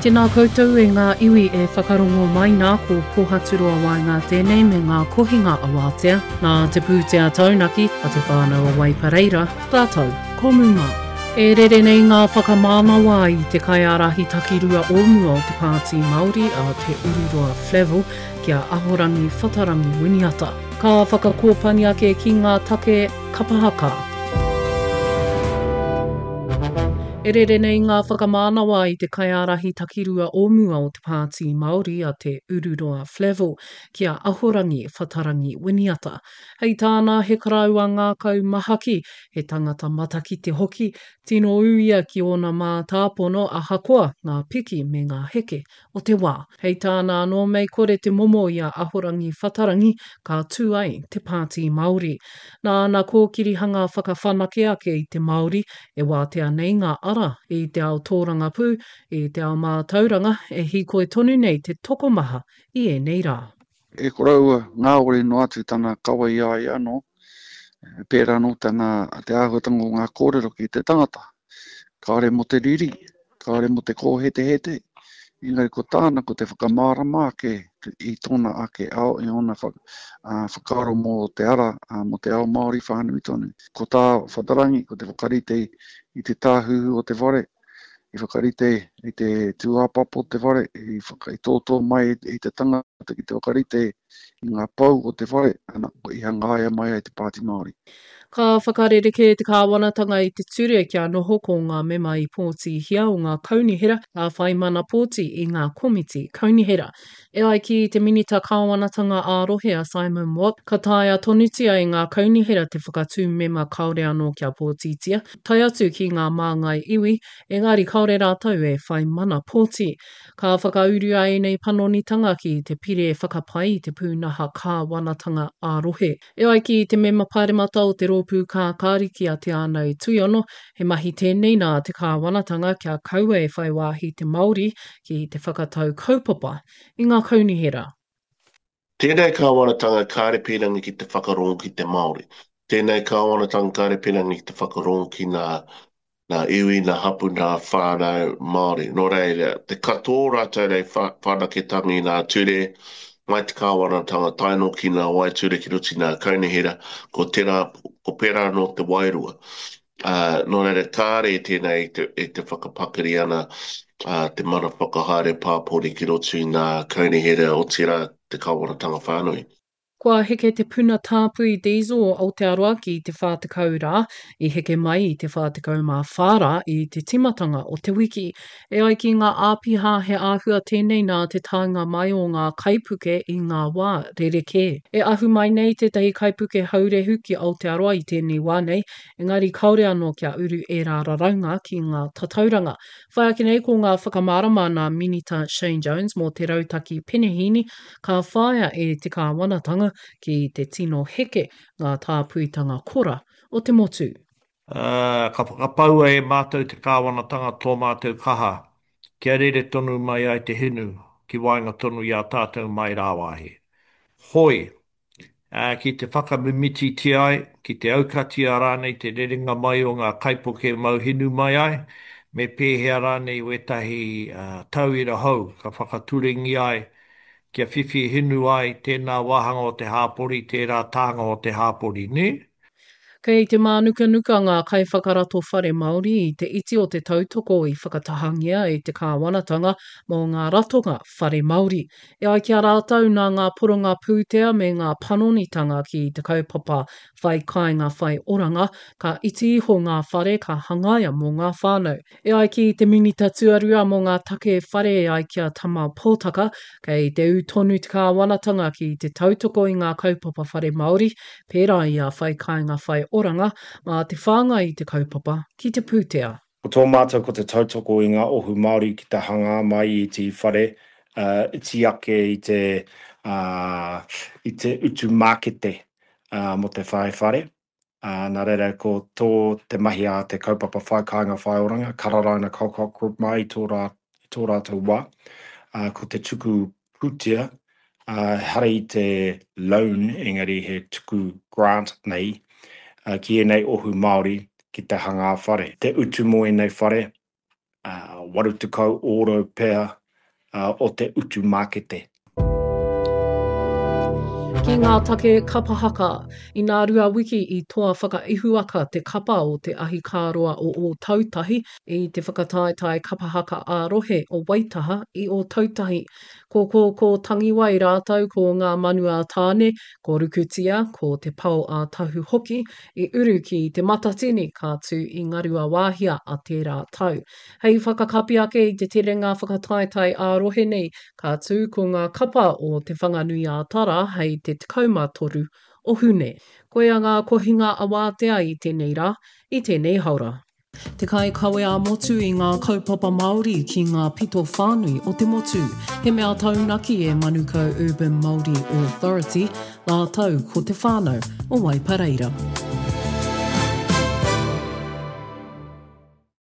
Tēnā koutou e ngā iwi e whakarongo mai nā ko Pohaturoa Waenga tēnei me ngā kohinga awātea nā te pūtea taunaki a Te Whānau a Waipareira rātou ko Muma. E rere nei ngā whakamānawa i te kaiārahi takirua o mua o te Pāti Māori a Te Ururoa Flavell ki a Ahorangi Whatarangi Winiata. Ka whakakōpani ake ki ngā take kapa haka. E rere nei ngā whakamānawa i te kaiārahi takirua o mua o te Pāti Māori a Te Ururoa Flavell ki a Ahorangi Whatarangi Winiata. Hei tāna he karaua ngākau mahaki, he tangata matakite hoki, tino ū ia ki ōna mātāpono ahakoa ngā piki me ngā heke o te wā. Hei tāna anō mei kore te momo i a Ahorangi Whatarangi ka tū ai te Pāti Māori. Nā ana kōkirihanga whakawhanake ake i te Māori e wātea nei ngā ara i te ao tōrangapū, i te ao mātauranga e hīkoi tonu nei te tokomaha i ēnei rā. E koroua ngāwari noa atu tana kawe i a ia anō, pērā anō tana, te āhuatanga o ngā kōrero ki te tangata. Kāore mō te riri, kāore mō te kōhetehete, engari ko tāna ko te whakamārama ake i tōna ake ao, i ōna whakaaro mō te ara, mō te ao Māori whānui tonu. Ko tā Whatarangi, ko te whakarite i te tāhuhu o te whare, i whakarite i te tūāpapa o te whare, i, whaka, i tōtō mai i te tangata ki te whakarite i ngā pou o te whare, ana, i hangaia mai ai te Pāti Māori. Ka whakarerekē te kāwanatanga i te ture kia noho ko ngā mema i pōtihia o ngā kaunihera ka whai mana pōti i ngā komiti kaunihera. E ai ki te Minita Kāwanatanga ā-Rohe a Simon Watt, ka taea tonutia e ngā kaunihera te whakatū mema kāore anō kia pōtitia, tae atu ki ngā māngai iwi, engari kāore rātou e whai mana pōti. Ka whakaurua ēnei panonitanga ki te Pire Whakapai i te Pūnaha Kāwanatanga ā-Rohe. E ai ki te mema pāremata o te Rōpū Kākāriki a Te Ānau Tuiono, he mahi tēnei nā te kāwanatanga kia kaua e whai wāhi te Māori ki te whakatau kaupapa i ngā kaunihera. Tēnei kāwanatanga kāre pīrangi ki te whakarongo ki te Māori. Tēnei kāwanatanga kāre pīrangi ki te whakarongo ki ngā nā iwi, nā hapu, nā whānau Māori. Nō reira, te katoa o rātou nei whanaketanga i ngā ture, mai te kāwanatanga tae noa ki ngā waeture ki roto i ngā kaunihera, ko tērā, ko pērā anō te wairua. Ā, nō reira, kāre tēnei e te, e te whakapakari ana ā, te mana whakahaere pāpori ki roto i ngā kaunihera, otirā te kāwanatanga whānui. Kua heke te puna tāpui diesel o Aotearoa ki te 40 rā, i heke mai i te 44 rā i te tīmatanga o te wiki. E ai ki ngā āpiha he āhua tēnei nā te taenga mai o ngā kaipuke i ngā wā rerekē. E ahu mai nei tētahi kaipuke haurehu ki Aotearoa i tēnei wā nei, engari kāore anō kia uru ērā raraunga ki ngā tatauranga. Whai ake nei ko ngā whakamārama nā Minita Shane Jones mō te rautaki penehīni ka whāia e te kāwanatanga ki te tino heke ngā tāpuitanga kora o te motu. Ā, ka whakapaua e mātou te kāwanatanga tō mātou kaha kia rere tonu mai ai te hinu ki waenga tonu i a tātou mai rāwāhi. Hoi, ā, ki te whakamimititia ai, ki te aukatia rānei te rerenga mai o ngā kaipuke mau hinu mai ai, me pēhea rānei wētahi tauira hou ka whakaturengia ai kia whiwhi hinu ai tēnā wāhanga o te hāpori, tērā tānga o te hāpori, nē? Kei te mānukanuka ngā kaiwhakarato whare Māori i te iti o te tautoko i whakatahangia e te kāwanatanga mō ngā ratonga whare Māori. E ai ki a rātou nā ngā poronga pūtea me ngā panonitanga ki te kaupapa Whai Kāinga Whai Oranga, ka iti iho ngā whare ka hangaia mō ngā whānau. E ai ki te Minita Tuarua mō ngā Take Whare e ai ki a Tama Potaka, kei te ū tonu te kāwanatanga ki te tautoko i ngā kaupapa whare Māori, pērā i a Whai Kāinga Whai Oranga, mā te whāngai i te kaupapa ki te pūtea. Ko tō mātou ko te tautoko i ngā ohu Māori ki te hangā mai i te whare iti ake i te i te utu mākete mō te whai whare. Ā, nā reira ko tō te mahi a te kaupapa Whai Kāinga Whai Oranga, Kararaina Colcock Group mā i tō rā, i tō rātou wā, ā, ko te tuku pūtea, ā, ehara i te loan engari he tuku grant nei, ā, ki ēnei ohu Māori ki te hangā whare. Te utu mō ēnei whare. 80 ōrau pea o te utu mākete. Ki ngā take kapa haka, inā rua wiki i toa whakaihuwaka te kapa o te ahikāroa o Ōtautahi i te whakataetae kapa haka ā-rohe o Waitaha i Ōtautahi. Ko Kōkō Tangiwai rātou ko ngā manu a Tāne, ko Rukutia, ko Te Pao a Tahu hoki i uru ki Te Matatini ka tū i Ngaruawāhia a tērā tau. Hei whakakapi ake i te terenga whakataetae ā-rohe nei, ka tū ko ngā kapa o Te Whanganui-ā-Tara hei te 13 o Hune. Koia ngā kohinga awātea i tēnei rā, i tēnei haora. Te kaikawe ā-motu i ngā kaupapa Māori ki ngā pito whānui o te motu. He mea taunaki e Manukau Urban Māori Authority rātou ko te whānau o Waipareira.